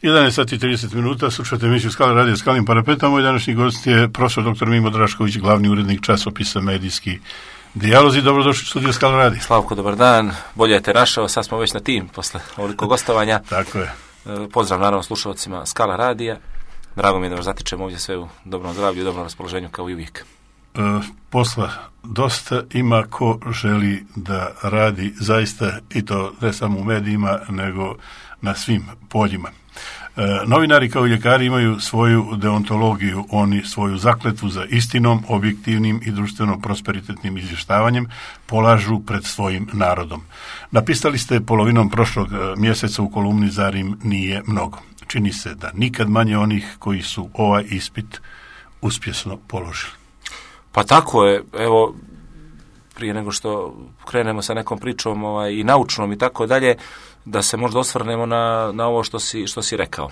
11 sati i 30 minuta, slušate emisiju Skala radija Skalnim parapetom. Moj današnji gost je profesor dr. Mimo Drašković, glavni urednik časopisa Medijski dijalozi. Dobrodošli u studiju Skala radija. Slavko, dobar dan. Bolje te našao, sad smo već na tim posle ovoliko gostovanja. Tako je. Pozdrav naravno slušalcima Skala radija. Drago mi je da vas zatičemo ovdje sve u dobrom zdravlju i dobrom raspoloženju kao i uvijek. Posla dosta, ima ko želi da radi zaista, i to ne samo u medijima, nego na svim poljima. Novinari kao i ljekari imaju svoju deontologiju, oni svoju zakletvu za istinom, objektivnim i društveno prosperitetnim izvještavanjem polažu pred svojim narodom. Napisali ste polovinom prošlog mjeseca u kolumni Zar im nije mnogo. Čini se da nikad manje onih koji su ovaj ispit uspješno položili. Pa tako je, evo, prije nego što krenemo sa nekom pričom i naučnom i tako dalje, da se možda osvrnemo na ovo što si rekao.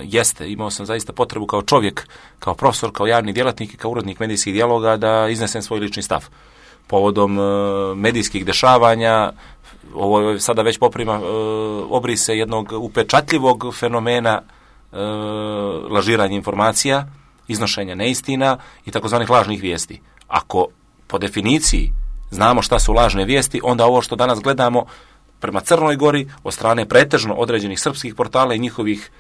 Jeste, imao sam zaista potrebu kao čovjek, kao profesor, kao javni djelatnik i kao urednik medijskih dijaloga da iznesem svoj lični stav. Povodom medijskih dešavanja, ovo je sada već poprima obrise jednog upečatljivog fenomena lažiranja informacija, iznošenja neistina i takozvanih lažnih vijesti. Ako po definiciji znamo šta su lažne vijesti, onda ovo što danas gledamo prema Crnoj Gori od strane pretežno određenih srpskih portala i njihovih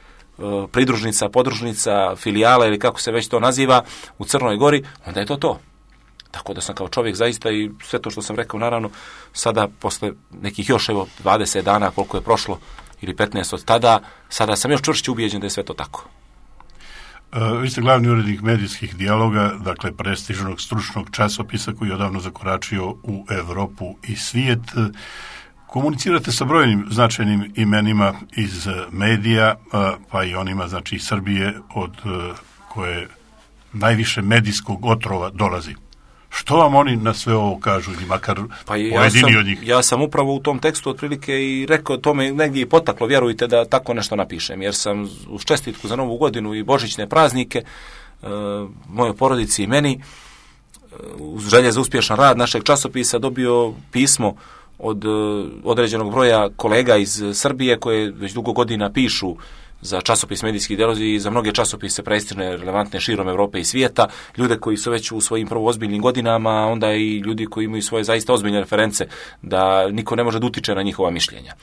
pridružnica, podružnica, filijala ili kako se već to naziva u Crnoj Gori, onda je to. Tako da sam kao čovjek zaista i sve to što sam rekao, naravno, sada posle nekih još 20 dana koliko je prošlo ili 15 od tada, sada sam još čvršće ubijeđen da je sve to tako. Vi ste glavni urednik medijskih dijaloga, dakle prestižnog stručnog časopisa koji je odavno zakoračio u Europu i svijet. Komunicirate sa brojnim značajnim imenima iz medija, pa i onima, znači iz Srbije, od koje najviše medijskog otrova dolazi. Što vam oni na sve ovo kažu, ili makar pojedini od njih? Ja sam upravo u tom tekstu otprilike i rekao, to me negdje i potaklo, vjerujte, da tako nešto napišem, jer sam uz čestitku za Novu godinu i božićne praznike mojoj porodici i meni, uz želje za uspješan rad našeg časopisa, dobio pismo od određenog broja kolega iz Srbije koje već dugo godina pišu za časopis Medijskih dijalozi i za mnoge časopise prestižne, relevantne širom Europe i svijeta, ljude koji su već u svojim prvo ozbiljnim godinama, onda i ljudi koji imaju svoje zaista ozbiljne reference, da niko ne može da utiče na njihova mišljenja.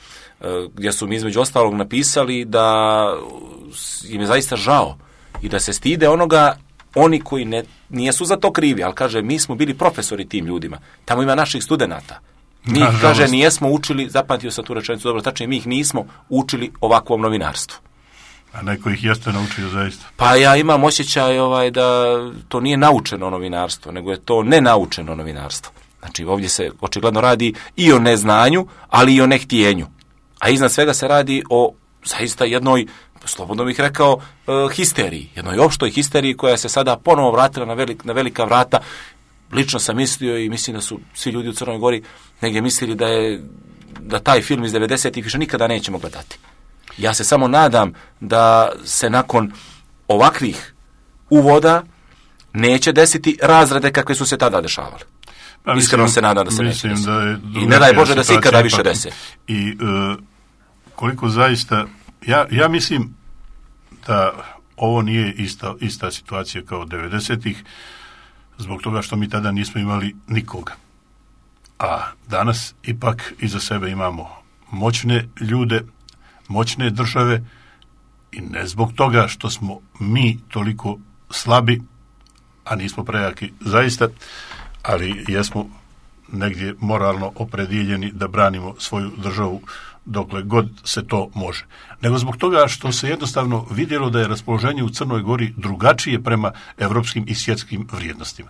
Gdje su mi između ostalog napisali da im je zaista žao i da se stide onoga, oni koji nijesu za to krivi, ali kaže, mi smo bili profesori tim ljudima, tamo ima naših studenata. Mi ih, kaže, nijesmo učili, zapamtio sam tu rečenicu dobro, tačnije, mi ih nismo učili ovakvom novinarstvu. A neko ih jeste naučio zaista? Pa ja imam osjećaj da to nije naučeno novinarstvo, nego je to nenaučeno novinarstvo. Znači ovdje se očigledno radi i o neznanju, ali i o nehtjenju. A iznad svega se radi o zaista jednoj, slobodno bih rekao, histeriji. Jednoj opštoj histeriji koja se sada ponovo vratila na velika vrata. Lično sam mislio i mislim da su svi ljudi u Crnoj Gori negdje mislili da taj film iz 90-ih više nikada nećemo gledati. Ja se samo nadam da se nakon ovakvih uvoda neće desiti razrede kakve su se tada dešavale. Iskreno se nadam da se neće desiti. I ne daj Bože da se ikada više desi. I koliko zaista, ja mislim da ovo nije ista situacija kao 90-ih, zbog toga što mi tada nismo imali nikoga. A danas ipak iza sebe imamo moćne ljude, moćne države i ne zbog toga što smo mi toliko slabi, a nismo prejaki zaista, ali jesmo negdje moralno opredjeljeni da branimo svoju državu dokle god se to može. Nego zbog toga što se jednostavno vidjelo da je raspoloženje u Crnoj Gori drugačije prema evropskim i svjetskim vrijednostima.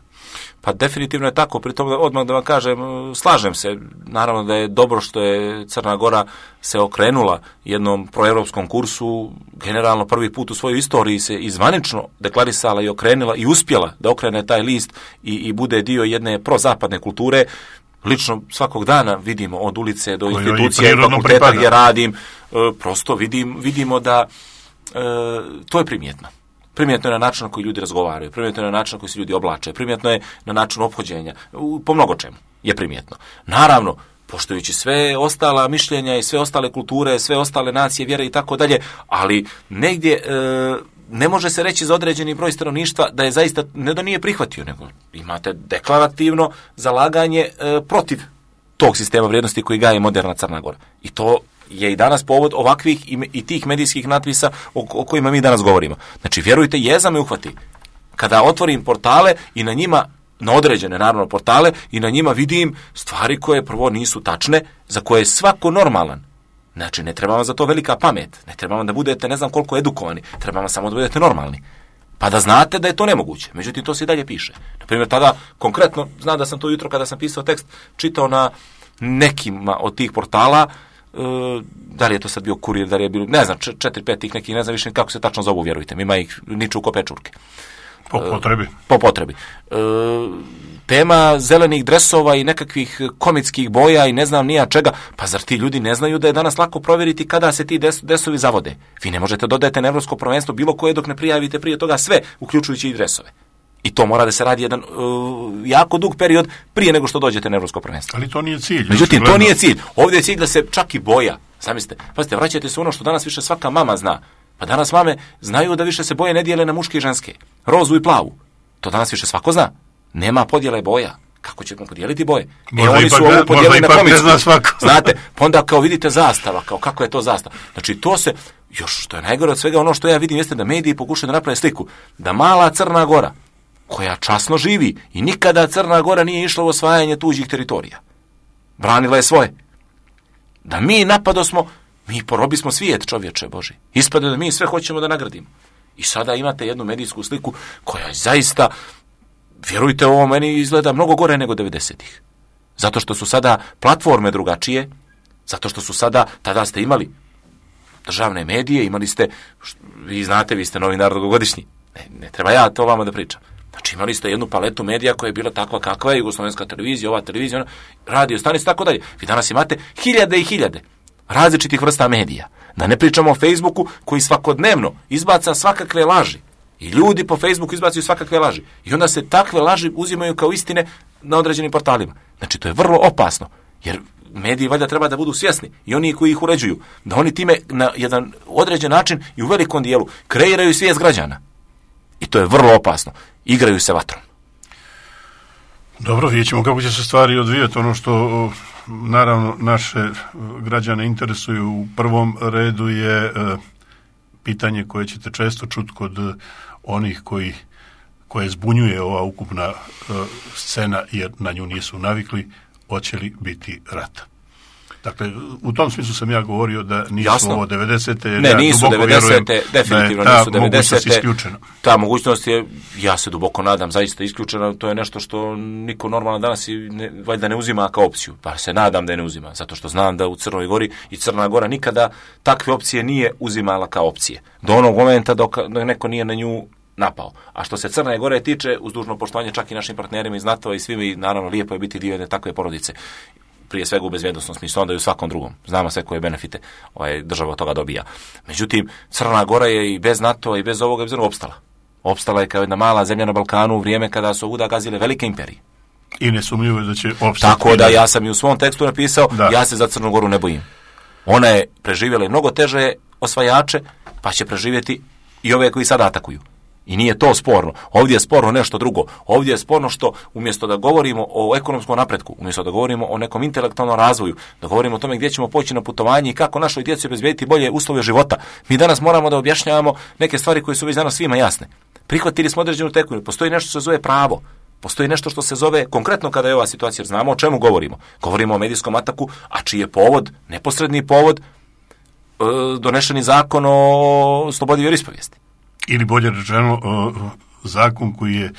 Pa definitivno je tako, pritom odmah da vam kažem, slažem se, naravno da je dobro što je Crna Gora se okrenula jednom proevropskom kursu, generalno prvi put u svojoj istoriji se izvanično deklarisala i okrenila i uspjela da okrene taj list i bude dio jedne prozapadne kulture. Lično svakog dana vidimo od ulice do institucije i fakulteta gdje radim, prosto vidimo da to je primjetno. Primjetno je na način na koji ljudi razgovaraju, primjetno je na način na koji se ljudi oblače, primjetno je na način ophođenja, po mnogo čemu je primjetno. Naravno, poštujući sve ostala mišljenja i sve ostale kulture, sve ostale nacije, vjere i tako dalje, ali negdje ne može se reći za određeni broj stanovništva da je zaista, ne da nije prihvatio, nego imate deklarativno zalaganje protiv tog sistema vrijednosti koji gaje moderna Crna Gora. I to je i danas povod ovakvih i tih medijskih natpisa o kojima mi danas govorimo. Znači, vjerujte, jeza me uhvati. Kada otvorim portale i na njima, na određene naravno portale, i na njima vidim stvari koje prvo nisu tačne, za koje je svako normalan. Znači, ne treba vam za to velika pamet, ne treba vam da budete ne znam koliko edukovani, treba vam samo da budete normalni. Pa da znate da je to nemoguće. Međutim, to se i dalje piše. Naprimjer, tada, konkretno, znam da sam to jutro kada sam pisao tekst, čitao na nekima od tih portala, da li je to sad bio Kurir, da li je bilo, ne znam, 4-5 tih nekih, ne znam više kako se tačno zovu, vjerujte mi, ima ih niču ko pečurke. Po potrebi. Tema zelenih dresova i nekakvih komitskih boja i ne znam nija čega, pa zar ti ljudi ne znaju da je danas lako provjeriti kada se ti dresovi zavode? Vi ne možete dodati na evropsko prvenstvo bilo koje dok ne prijavite prije toga sve, uključujući i dresove. I to mora da se radi jedan jako dug period prije nego što dođete na evropsko prvenstvo. Ali to nije cilj. Međutim, to nije cilj. Ovdje je cilj da se čak i boja. Zamislite, pazite, vraćate se ono što danas više svaka mama zna. Pa danas mame znaju da više se boje ne dijele na muške i ženske. Rozu i plavu. To danas više svako zna. Nema podjele boja. Kako ćemo podijeliti boje? Oni su ovo podijelili na komicu. Znate, pa onda kao vidite zastava, kao kako je to zastava. Znači to se, još što je najgore od svega, ono što ja vidim jeste da mediji pokušaju da naprave sliku. Da mala Crna Gora, koja časno živi i nikada Crna Gora nije išla u osvajanje tuđih teritorija. Branila je svoje. Da mi napadosmo, mi porobismo svijet, čovječe Boži. Ispada da mi sve hoćemo da nagradimo. I sada imate jednu medijsku sliku koja zaista, vjerujte, ovo meni izgleda mnogo gore nego 90-ih. Zato što su sada platforme drugačije, zato što su sada, tada ste imali državne medije, imali ste, vi znate, vi ste novinar dugogodišnji. Ne treba ja to vama da pričam. Znači imali ste jednu paletu medija koja je bila takva kakva je, Jugoslovenska televizija, ova televizija, radio stanice, tako dalje. Vi danas imate hiljade i hiljade različitih vrsta medija. Da ne pričamo o Facebooku koji svakodnevno izbaca svakakve laži. I ljudi po Facebooku izbacaju svakakve laži. I onda se takve laži uzimaju kao istine na određenim portalima. Znači to je vrlo opasno. Jer mediji valjda treba da budu svjesni i oni koji ih uređuju. Da oni time na jedan određen način i u velikom dijelu kreiraju svijest građana. I to je vrlo opasno. Igraju se vatrom. Dobro, vidjet ćemo kako će se stvari odvijati. Ono što naravno naše građane interesuju u prvom redu je pitanje koje ćete često čuti kod onih koje zbunjuje ova ukupna scena jer na nju nisu navikli, hoće li biti rata. Dakle, u tom smislu sam ja govorio da nisu Jasno. Ovo 90-te. Ne, ja nisu 90-te, definitivno da je nisu 90-te. Ta mogućnost je, ja se duboko nadam, zaista isključena. To je nešto što niko normalno danas valjda ne uzima kao opciju. Pa se nadam da je ne uzima, zato što znam da u Crnoj Gori i Crna Gora nikada takve opcije nije uzimala kao opcije. Do onog momenta dok neko nije na nju napao. A što se Crne Gore tiče, uz dužno poštovanje čak i našim partnerima iz NATO i svima, i naravno lijepo je biti dio jedne takve porodice. Prije svega u bezbjednosnom smislu, onda i u svakom drugom. Znamo sve koje benefite država od toga dobija. Međutim, Crna Gora je i bez NATO i bez ovoga opstala. Opstala je kao jedna mala zemlja na Balkanu u vrijeme kada su ovuda gazile velike imperije. I nesumnjivo je da će opstati. Tako da ja sam i u svom tekstu napisao, ja se za Crnu Goru ne bojim. Ona je preživjela i mnogo teže osvajače, pa će preživjeti i ove koji sada atakuju. I nije to sporno. Ovdje je sporno nešto drugo. Ovdje je sporno što umjesto da govorimo o ekonomskom napretku, umjesto da govorimo o nekom intelektualnom razvoju, da govorimo o tome gdje ćemo poći na putovanje i kako našoj djeci obezbijediti bolje uslove života, mi danas moramo da objašnjavamo neke stvari koje su već danas svima jasne. Prihvatili smo određenu tekovinu. Postoji nešto što se zove pravo. Postoji nešto što se zove, konkretno kada je ova situacija, jer znamo o čemu govorimo. Govorimo o medijskom ataku, a čiji je povod, neposredni povod, donešeni zakon o slobodi vjeroispovijesti. Ili bolje rečeno, zakon koji je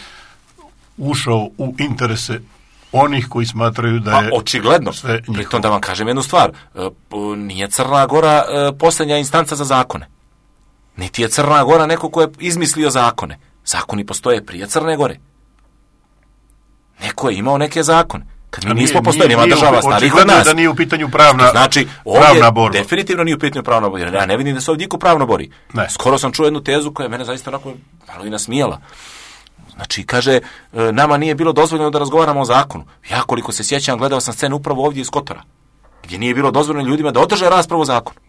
ušao u interese onih koji smatraju da je očigledno. Sve njihovo. Pritom da vam kažem jednu stvar, nije Crna Gora posljednja instanca za zakone. Niti je Crna Gora neko ko je izmislio zakone. Zakoni postoje prije Crne Gore. Neko je imao neke zakone. Kad mi nismo postojali, ima država starih od nas. Da nije u pitanju pravna, znači, pravna borba. Definitivno nije u pitanju pravna borba. Ja ne vidim da se ovdje niko pravno bori. Ne. Skoro sam čuo jednu tezu koja je mene zaista onako malo i nasmijala. Znači, kaže, nama nije bilo dozvoljeno da razgovaramo o zakonu. Ja koliko se sjećam, gledao sam scenu upravo ovdje iz Kotora. gdje nije bilo dozvoljeno ljudima da održe raspravu o zakonu.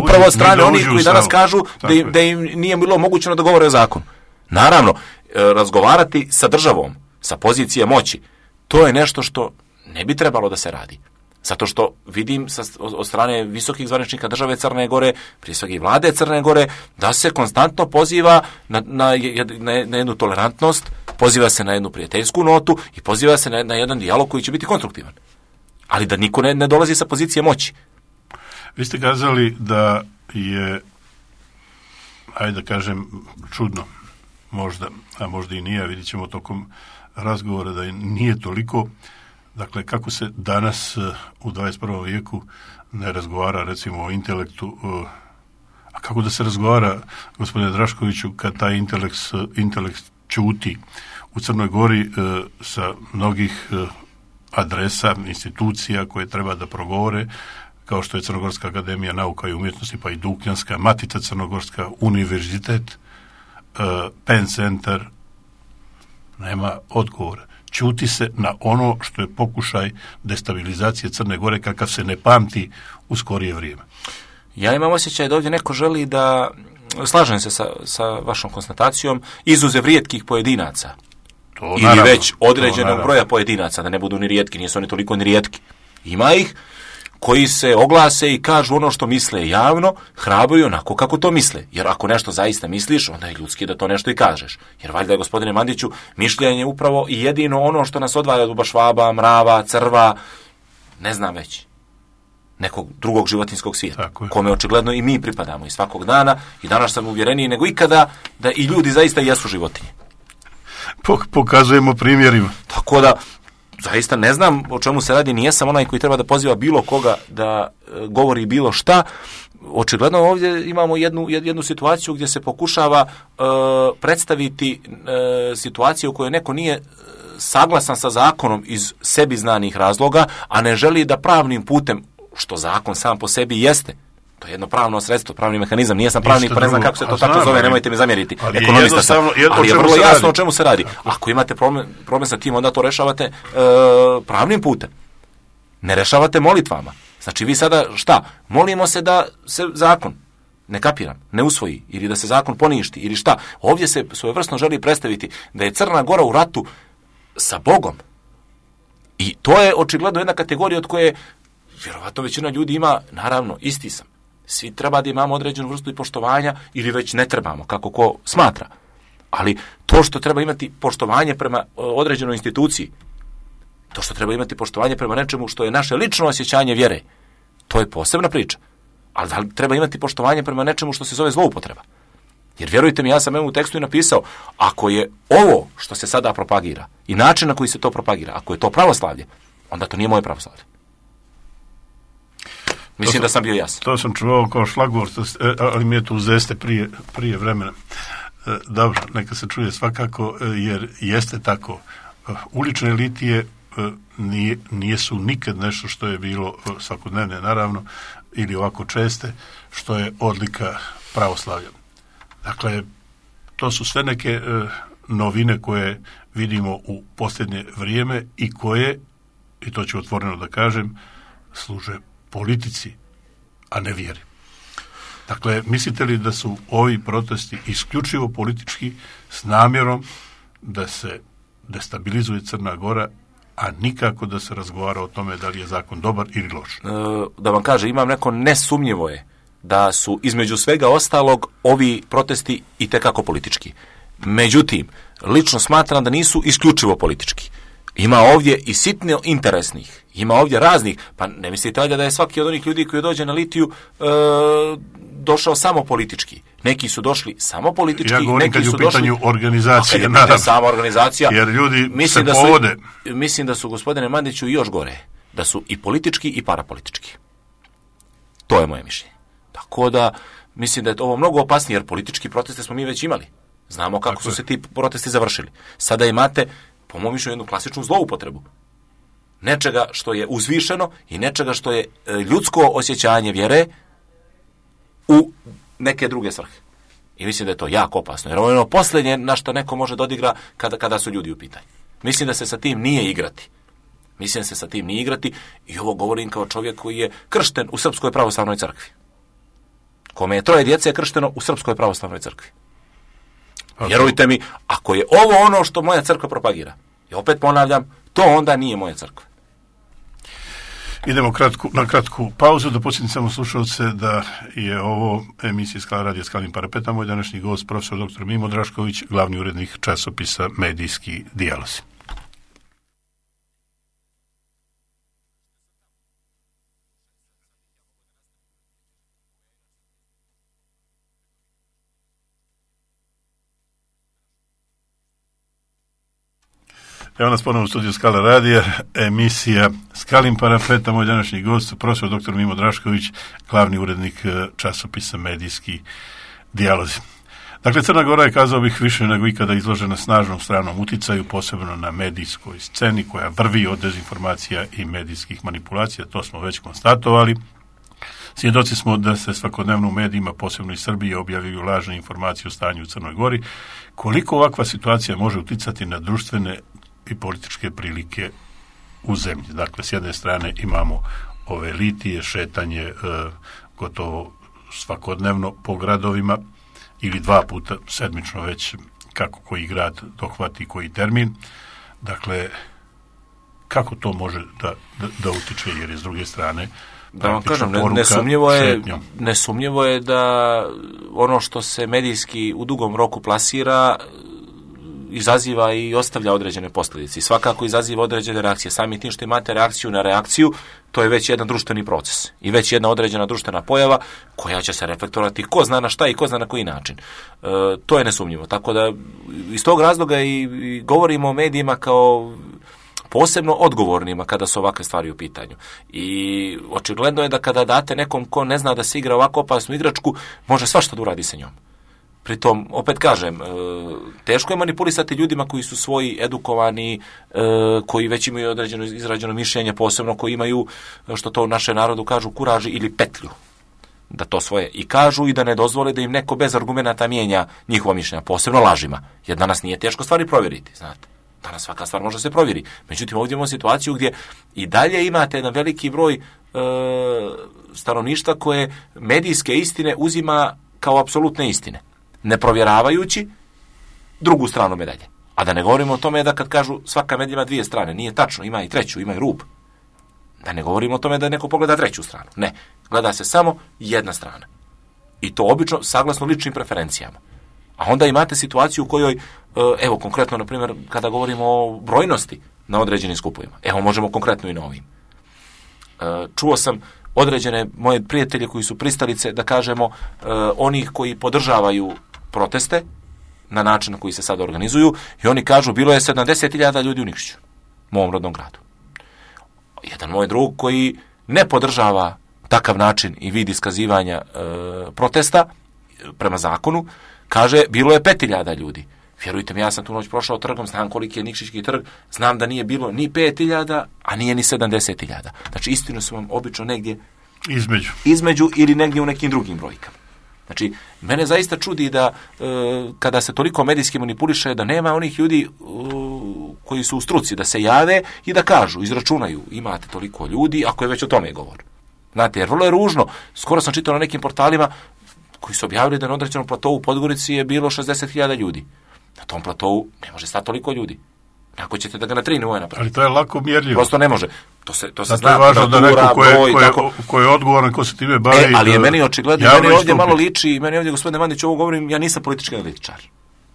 Upravo od strane onih koji danas kažu da im nije bilo omogućeno da govore o zakonu. Naravno, razgovarati sa državom, sa pozicije moći, to je nešto što ne bi trebalo da se radi. Zato što vidim od strane visokih zvaničnika države Crne Gore, prije svega i vlade Crne Gore, da se konstantno poziva na jednu tolerantnost, poziva se na jednu prijateljsku notu i poziva se na jedan dijalog koji će biti konstruktivan. Ali da niko ne dolazi sa pozicije moći. Vi ste kazali da je, ajde da kažem, čudno, možda, a možda i nije, vidit ćemo tokom razgovora da nije toliko. Dakle, kako se danas u 21. vijeku ne razgovara, recimo, o intelektu, a kako da se razgovara, gospodine Draškoviću, kad taj intelekt ćuti u Crnoj Gori sa mnogih adresa, institucija koje treba da progovore, kao što je Crnogorska akademija nauka i umjetnosti, pa i Dukljanska, Matica Crnogorska, univerzitet, Penn Centar, nema odgovora. Ćuti se na ono što je pokušaj destabilizacije Crne Gore kakav se ne pamti u skorije vrijeme. Ja imam osjećaj da ovdje neko želi da, slažem se sa vašom konstatacijom, izuzev rijetkih pojedinaca. Ili naravno, već određenog broja pojedinaca, da ne budu ni rijetki, nisu oni toliko ni rijetki. Ima ih koji se oglase i kažu ono što misle javno, hrabruju onako kako to misle. Jer ako nešto zaista misliš, onda je ljudski da to nešto i kažeš. Jer valjda je, gospodine Mandiću, mišljenje upravo i jedino ono što nas odvaja od Bubašvaba, mrava, crva, ne znam već, nekog drugog životinjskog svijeta, kome očigledno i mi pripadamo i svakog dana, i danas sam uvjereniji nego ikada da i ljudi zaista jesu životinje. Pokazujemo primjerima. Tako da, zaista ne znam o čemu se radi, nijesam onaj koji treba da poziva bilo koga da govori bilo šta. Očigledno ovdje imamo jednu situaciju gdje se pokušava predstaviti situaciju u kojoj neko nije saglasan sa zakonom iz sebi znanih razloga, a ne želi da pravnim putem, što zakon sam po sebi jeste, to je jedno pravno sredstvo, pravni mehanizam, nijesam pravnik, pa ne znam kako se to tako zove, nemojte mi zamjeriti. Ekonomista sam, ali je vrlo jasno o čemu se radi. Ako imate problem sa tim, onda to rešavate pravnim putem. Ne rešavate molitvama. Znači vi sada šta? Molimo se da se zakon, ne kapiram, ne usvoji, ili da se zakon poništi, ili šta. Ovdje se svojevrsno želi predstaviti da je Crna Gora u ratu sa Bogom. I to je očigledno jedna kategorija od koje vjerovatno većina ljudi ima, naravno, isti sam. Svi treba da imamo određenu vrstu i poštovanja, ili već ne trebamo, kako ko smatra. Ali to što treba imati poštovanje prema određenoj instituciji, to što treba imati poštovanje prema nečemu što je naše lično osjećanje vjere, to je posebna priča. Ali da li treba imati poštovanje prema nečemu što se zove zloupotreba? Jer vjerujte mi, ja sam u tekstu i napisao, ako je ovo što se sada propagira i način na koji se to propagira, ako je to pravoslavlje, onda to nije moje pravoslavlje. Mislim da sam bio jasan. To sam čuvao kao šlagvort, ali mi je to uzeste prije vremena. Dobro, neka se čuje svakako, jer jeste tako. Ulične litije nijesu nikad nešto što je bilo svakodnevne, naravno, ili ovako česte, što je odlika pravoslavlja. Dakle, to su sve neke novine koje vidimo u posljednje vrijeme i koje, i to ću otvoreno da kažem, služe politici, a ne vjeri. Dakle, mislite li da su ovi protesti isključivo politički s namjerom da se destabilizuje Crna Gora, a nikako da se razgovara o tome da li je zakon dobar ili loš? Da vam kaže, imam neko nesumnjivo je da su između svega ostalog ovi protesti itekako politički. Međutim, lično smatram da nisu isključivo politički. Ima ovdje i sitno interesnih, ima ovdje raznih, pa ne mislite da je svaki od onih ljudi koji dođe na litiju došao samo politički. Neki su došli samo politički, ja govorim neki su kad je u pitanju došli organizacije, naravno. Sama organizacija. Jer ljudi se povode. Mislim da su, gospodine Mandiću, i još gore, da su i politički i parapolitički. To je moje mišljenje. Tako da, mislim da je ovo mnogo opasnije, jer politički proteste smo mi već imali. Znamo kako su se ti protesti završili. Sada imate, po mom mišljenju, jednu klasičnu zloupotrebu. Nečega što je uzvišeno i nečega što je ljudsko osjećanje vjere u neke druge svrhe. I mislim da je to jako opasno. Jer ovo je ono posljednje na što neko može da odigra kada su ljudi u pitanju. Mislim da se sa tim nije igrati. Mislim se sa tim ni igrati i ovo govorim kao čovjek koji je kršten u Srpskoj pravoslavnoj crkvi. Kome je 3 djece kršteno u Srpskoj pravoslavnoj crkvi. Vjerujte mi, ako je ovo ono što moja crkva propagira, i opet ponavljam, to onda nije moja crkva. Idemo na kratku pauzu, da podsjetim samo slušalce da je ovo emisija Skala radija Skalim Parapetom, moj današnji gost, profesor dr. Mimo Drašković, glavni urednik časopisa Medijski dijalozi. Evo nas ponovno u studiju Skala radija, emisija Skalim Parapetom, moj današnji gost, profesor dr. Mimo Drašković, glavni urednik časopisa Medijski dijalozi. Dakle, Crna Gora je, kazao bih, više nego ikada izložena snažnom stranom uticaju, posebno na medijskoj sceni koja vrvi od dezinformacija i medijskih manipulacija, to smo već konstatovali. Svjedoci smo da se svakodnevno u medijima, posebno i Srbije, objavljuju lažne informacije o stanju u Crnoj Gori. Koliko ovakva situacija može uticati na društvene i političke prilike u zemlji? Dakle, s jedne strane imamo ove litije, šetanje gotovo svakodnevno po gradovima ili 2 puta sedmično već, kako koji grad dohvati koji termin. Dakle, kako to može da utiče, jer je s druge strane da vam kažem, nesumnjivo je da ono što se medijski u dugom roku plasira izaziva i ostavlja određene posljedice. I svakako izaziva određene reakcije. Sami tim što imate reakciju na reakciju, to je već jedan društveni proces. I već jedna određena društvena pojava koja će se reflektovati ko zna na šta i ko zna na koji način. To je nesumnjivo. Tako da iz tog razloga i govorimo o medijima kao posebno odgovornima kada su ovakve stvari u pitanju. I očigledno je da kada date nekom ko ne zna da se igra ovako opasnu igračku, može svašta da uradi sa njom. Pritom, opet kažem, teško je manipulisati ljudima koji su svoji, edukovani, koji već imaju određeno izrađeno mišljenje, posebno koji imaju, što to u našem narodu kažu, kuraži ili petlju. Da to svoje i kažu i da ne dozvole da im neko bez argumenata mijenja njihova mišljenja, posebno lažima. Jer danas nije teško stvari provjeriti, znate. Danas svaka stvar može se provjeri. Međutim, ovdje imamo situaciju gdje i dalje imate jedan veliki broj stanovništva koje medijske istine uzima kao apsolutne istine, ne provjeravajući drugu stranu medalje. A da ne govorimo o tome da kad kažu svaka medija ima 2 strane, nije tačno, ima i treću, ima i rub. Da ne govorimo o tome da neko pogleda 3. stranu. Ne, gleda se samo jedna strana. I to obično saglasno ličnim preferencijama. A onda imate situaciju u kojoj, evo konkretno, na primjer, kada govorimo o brojnosti na određenim skupovima, evo možemo konkretno i na ovim. Čuo sam određene moje prijatelje koji su pristalice, da kažemo, onih koji podržavaju proteste na način na koji se sada organizuju, i oni kažu bilo je 70.000 ljudi u Nikšiću, mom rodnom gradu. Jedan moj drug koji ne podržava takav način i vid iskazivanja protesta prema zakonu, kaže bilo je 5.000 ljudi. Vjerujte mi, ja sam tu noć prošao trgom, znam koliki je Nikšićki trg, znam da nije bilo ni 5.000, a nije ni 70.000. Znači, istinu su vam obično negdje između ili negdje u nekim drugim brojkama. Znači, mene zaista čudi da kada se toliko medijski manipuliše, da nema onih ljudi koji su u struci, da se jave i da kažu, izračunaju, imate toliko ljudi, ako je već o tome govor. Znate, jer vrlo je ružno. Skoro sam čitao na nekim portalima koji su objavili da na određenom platovu u Podgorici je bilo 60.000 ljudi. Na tom platovu ne može stati toliko ljudi. Ako ćete da ga na 3 nivoje napraviti. Ali to je lako mjerljivo. Prosto ne može. To se zna. To je važno da neko ko je odgovoran, ko se time bavi. Ali je meni očigledno, meni ovdje malo liči, meni ovdje, gospodine Mandić, ovo govorim, ja nisam politički analitičar.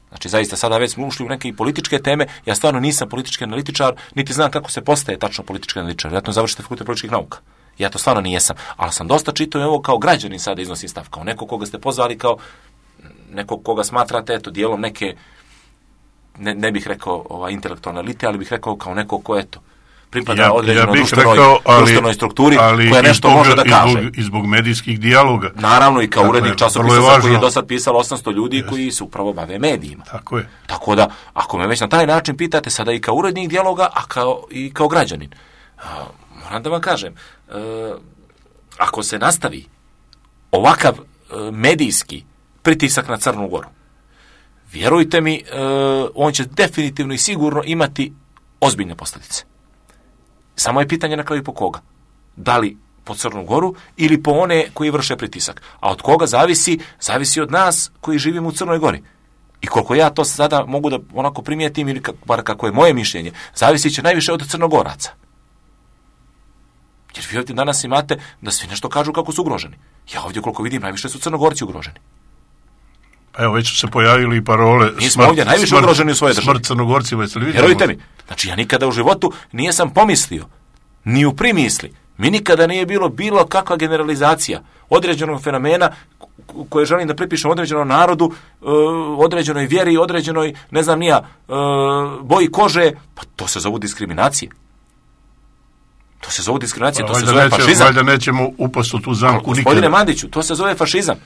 Znači, zaista, sada već smo ušli u neke političke teme, ja stvarno nisam politički analitičar, niti znam kako se postaje tačno politički analitičar. Vjerojatno završite fakultet političkih nauka. Ja to stvarno nijesam. Ali sam dosta čitao i ovo kao građanin sada iznosim stav, kao neko koga ste pozvali, kao nekog koga smatrate, eto, dijelom neke, ne bih rekao intelektualne elite, ali bih rekao kao neko ko, eto, pripada određenoj društvenoj strukturi koja nešto može da kaže. I zbog medijskih dijaloga. Naravno, i kao urednik časopisa za koji je do sad pisalo 800 ljudi koji se upravo bave medijima. Tako je. Tako da, ako me već na taj način pitate, sada i kao urednik dijaloga, a i kao građanin, moram da vam kažem, ako se nastavi ovakav medijski pritisak na Crnu Goru, vjerujte mi, on će definitivno i sigurno imati ozbiljne posljedice. Samo je pitanje na kraju po koga. Da li po Crnu Goru ili po one koji vrše pritisak. A od koga zavisi? Zavisi od nas koji živimo u Crnoj Gori. I koliko ja to sada mogu da onako primijetim, ili bar kako je moje mišljenje, zavisi će najviše od Crnogoraca. Jer vi ovdje danas imate da svi nešto kažu kako su ugroženi. Ja ovdje koliko vidim, najviše su Crnogorci ugroženi. Evo, već su se pojavili i parole mi smo ovdje najviše ugroženi u svojoj državi. Smrt Crnogorcima, jeste li vidjeli? Vjerujte mi, znači ja nikada u životu nisam pomislio, ni u primisli, mi nikada nije bilo kakva generalizacija određenog fenomena koje želim da pripišem određenom narodu, određenoj vjeri, određenoj, ne znam nija, boji kože, pa to se zove diskriminacije. To se zove diskriminacija, to se zove fašizam. Valjda nećemo upasti u tu zamku nikada. Gospodine Mandiću, to se zove fašizam.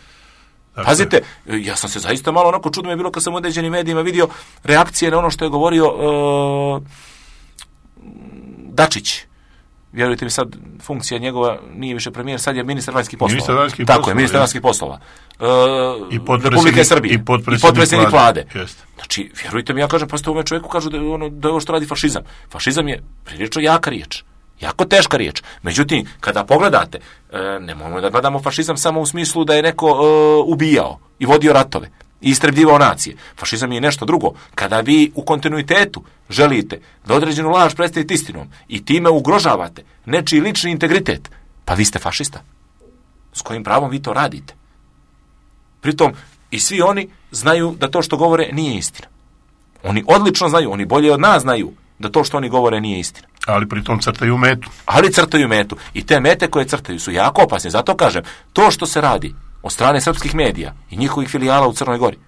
Pazite, ja sam se zaista malo onako čudno je bilo kad sam u određenim medijima vidio reakcije na ono što je govorio Dačić. Vjerujte mi, sad funkcija njegova nije više premijer, sad je ministar vanjskih poslova. Tako je, ministar vanjskih poslova. I Republike Srbije. I potpredsjednik vlade. Jeste. Znači, vjerujte mi, ja kažem, prosto ovome čovjeku kažu da je ovo što radi fašizam. Fašizam je prilično jaka riječ. Jako teška riječ. Međutim, kada pogledate, nemojmo da gledamo fašizam samo u smislu da je neko ubijao i vodio ratove i istrebljivao nacije. Fašizam je nešto drugo. Kada vi u kontinuitetu želite da određenu laž predstavite istinom i time ugrožavate nečiji lični integritet, pa vi ste fašista. S kojim pravom vi to radite? Pritom, i svi oni znaju da to što govore nije istina. Oni odlično znaju, oni bolje od nas znaju da to što oni govore nije istina. Ali pritom crtaju metu. Ali crtaju metu. I te mete koje crtaju su jako opasne. Zato kažem, to što se radi od strane srpskih medija i njihovih filijala u Crnoj Gori,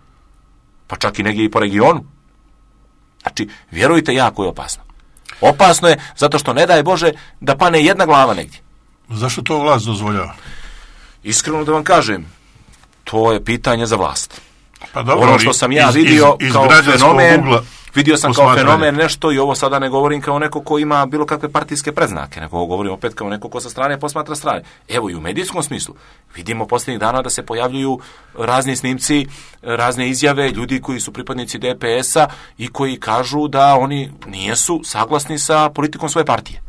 pa čak i negdje i po regionu, znači, vjerujte, jako je opasno. Opasno je zato što ne daj Bože da pane jedna glava negdje. Zašto to vlast dozvoljava? Iskreno da vam kažem, to je pitanje za vlast. Pa dobro, ono što sam ja vidio kao fenomen, vidio sam kao fenomen nešto i ovo sada ne govorim kao neko ko ima bilo kakve partijske predznake, nego govorim opet kao neko ko sa strane posmatra strane. Evo i u medijskom smislu vidimo posljednjih dana da se pojavljuju razni snimci, razne izjave ljudi koji su pripadnici DPS-a i koji kažu da oni nijesu saglasni sa politikom svoje partije.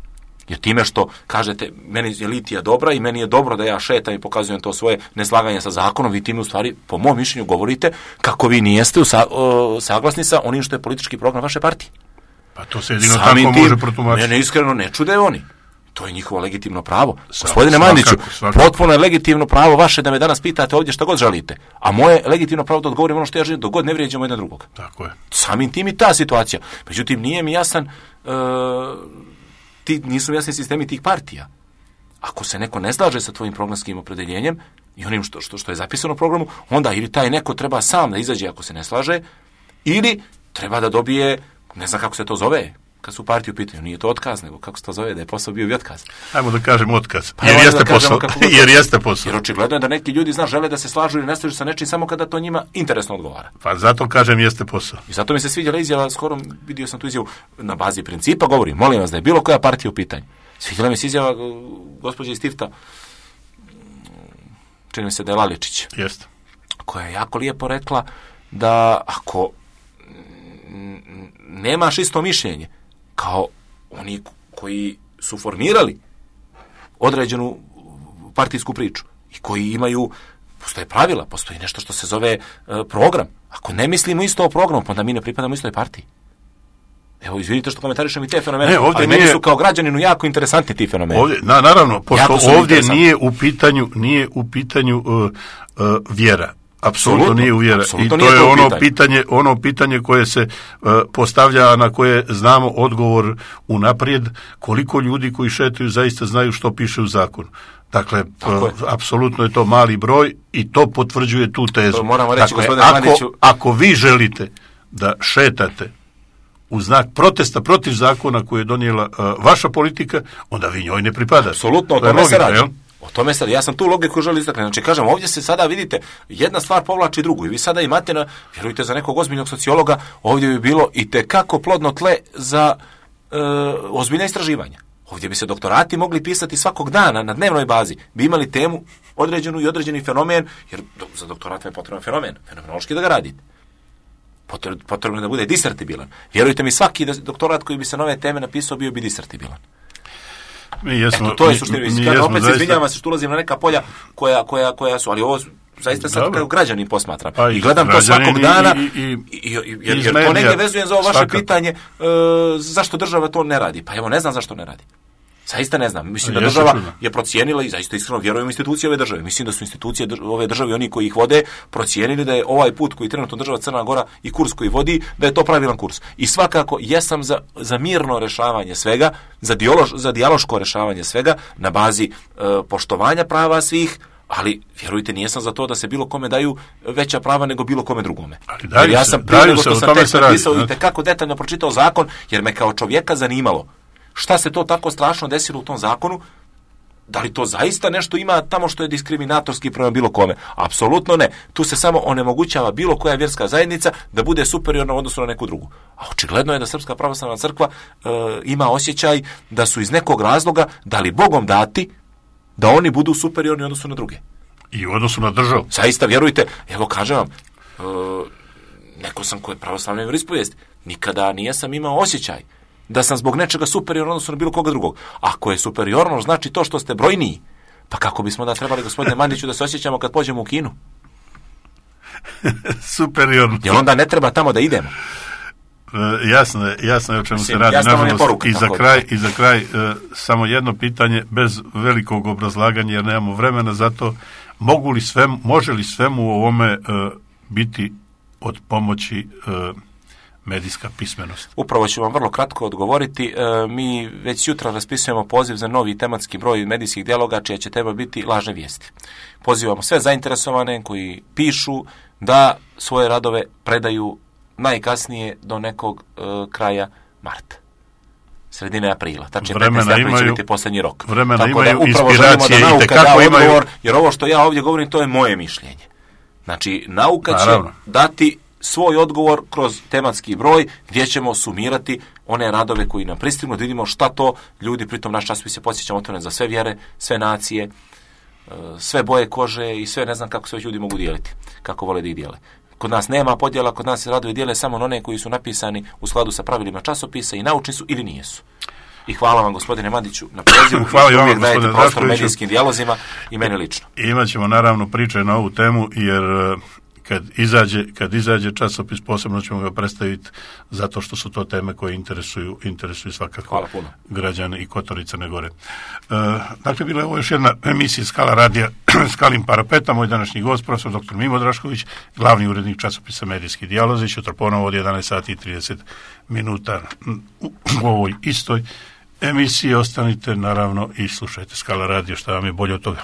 Jer time što kažete meni je litija dobra i meni je dobro da ja šetam i pokazujem to svoje neslaganje sa zakonom, vi time u stvari, po mom mišljenju, govorite kako vi nijeste saglasni sa onim što je politički program vaše partije. Pa to se jedino tako može protumačiti. Mene iskreno ne čude oni. To je njihovo legitimno pravo. Gospodine Mandiću, potpuno je legitimno pravo vaše da me danas pitate ovdje što god želite. A moje legitimno pravo da odgovorim ono što ja želim, dok god ne vrijeđamo jedan drugog. Tako je. Samim tim i ta situacija. Međutim, nije mi jasan nisu jasni sistemi tih partija. Ako se neko ne slaže sa tvojim programskim opredeljenjem i onim što je zapisano u programu, onda ili taj neko treba sam da izađe ako se ne slaže, ili treba da dobije, ne znam kako se to zove, kad su partiju pitaju, nije to otkaz, nego kako se to zove, da je posao bio i otkaz. Ajmo da kažemo otkaz, jer jeste posao. Jer jeste posao. Jer očigledno je da neki ljudi žele da se slažu ili ne slažu sa nečim samo kada to njima interesno odgovara. Pa zato kažem jeste posao. I zato mi se sviđala izjava, skoro vidio sam tu izjavu na bazi principa, govorim, molim vas da je bilo koja partija u pitanju. Sviđala mi se izjava gospođe iz Tifta, čini mi se da je Laličić. Jeste. Koja je jako lijepo rekla da ako nemaš isto mišljenje kao oni koji su formirali određenu partijsku priču i koji imaju, postoje pravila, postoji nešto što se zove program. Ako ne mislimo isto o programu, pa onda mi ne pripadamo istoj partiji. Evo, izvidite što komentarišem i te fenomene, ali meni su kao građaninu jako interesantni ti fenomeni. Ovdje, naravno, pošto ovdje nije u pitanju vjera. Apsolutno nije uvjera. I to je ono pitanje koje se postavlja, na koje znamo odgovor unaprijed, koliko ljudi koji šetaju zaista znaju što piše u zakonu. Dakle, apsolutno je to mali broj i to potvrđuje tu tezu. To moramo reći, dakle, ako vi želite da šetate u znak protesta protiv zakona koje je donijela vaša politika, onda vi njoj ne pripadate. Apsolutno, o tome se radi. O tome sad, ja sam tu logiku želio istaknuti. Znači, kažem, ovdje se sada, vidite, jedna stvar povlači drugu i vi sada imate, vjerujte, za nekog ozbiljnog sociologa, ovdje bi bilo i tekako plodno tle za ozbiljna istraživanja. Ovdje bi se doktorati mogli pisati svakog dana na dnevnoj bazi, bi imali temu određenu i određeni fenomen, jer za doktorat je potreban fenomenološki da ga radite. Potrebno je da bude disertibilan. Vjerujte mi, svaki doktorat koji bi se na ove teme napisao bio bi disertibilan. To je suština. Opet se izvinjavam se što ulazim na neka polja koja su, ali ovo zaista sad kao građanin posmatram. I gledam to svakog dana, jer to negdje vezujem za ovo vaše pitanje zašto država to ne radi. Pa evo, ne znam zašto ne radi. Zaista ne znam. Mislim da država je procijenila i zaista iskreno vjerujem u institucije ove države. Mislim da su institucije ove države, oni koji ih vode, procijenili da je ovaj put koji trenutno država Crna Gora i kurs koji vodi, da je to pravilan kurs. I svakako jesam za mirno rešavanje svega, za dijaloško rešavanje svega na bazi poštovanja prava svih, ali vjerujte, nijesam za to da se bilo kome daju veća prava nego bilo kome drugome. Jer ja sam prije nego što sam tekst napisao i tekako detaljno pročitao zakon, jer me kao čovjeka zanimalo šta se to tako strašno desilo u tom zakonu, da li to zaista nešto ima tamo što je diskriminatorski prema bilo kome? Apsolutno ne. Tu se samo onemogućava bilo koja vjerska zajednica da bude superiorna u odnosu na neku drugu. A očigledno je da Srpska pravoslavna crkva ima osjećaj da su iz nekog razloga dali Bogom dati da oni budu superiorni u odnosu na druge. I u odnosu na državu. Zaista, vjerujte, evo kažem vam, neko sam koji je pravoslavne vjeroispovijesti, nikada nijesam imao osjećaj da sam zbog nečega superiorno odnosno na bilo koga drugog. Ako je superiorno, znači to što ste brojniji. Pa kako bismo da trebali, gospodine Mandiću, da se osjećamo kad pođemo u Kinu? Superiorno. Jer onda ne treba tamo da idemo. Jasno je o čemu se radi. I za kraj samo jedno pitanje bez velikog obrazlaganja, jer nemamo vremena za to. Može li svemu u ovome biti od pomoći medijska pismenost? Upravo ću vam vrlo kratko odgovoriti. Mi već jutra raspisujemo poziv za novi tematski broj medijskih dijaloga, čija će tema biti lažne vijesti. Pozivamo sve zainteresovane koji pišu da svoje radove predaju najkasnije do nekog kraja marta. Sredine aprila. Tačnije 15. april će biti posljednji rok. Vremena tako imaju, da upravo želimo da nauka da odgovor, jer ovo što ja ovdje govorim, to je moje mišljenje. Znači, nauka će dati svoj odgovor kroz tematski broj gdje ćemo sumirati one radove koji nam pristignu, da vidimo šta to ljudi, pritom naš časopis se podsjećam otvoren za sve vjere, sve nacije, sve boje kože i sve, ne znam kako se ljudi mogu dijeliti, kako vole da ih dijele. Kod nas nema podjela, kod nas se radovi dijele samo na one koji su napisani u skladu sa pravilima časopisa i naučni su ili nijesu. I hvala vam, gospodine Mandiću, na pozivu. Hvala i uvijek dajete prostor medijskim dijalozima i meni lično. Imaćemo naravno priče na ovu temu, jer kad izađe časopis, posebno ćemo ga predstaviti zato što su to teme koje interesuju svakako građane i Kotor i Crne Gore. Dakle, bila je ovo još jedna emisija Skala radija Skalim parapetom. Moj današnji gost, profesor dr. Mimo Drašković, glavni urednik časopisa Medijski dijalozi. Sutra ponovo od 11 sati i 30 minuta u ovoj istoj emisiji. Ostanite naravno i slušajte Skala radio, šta vam je bolje od toga.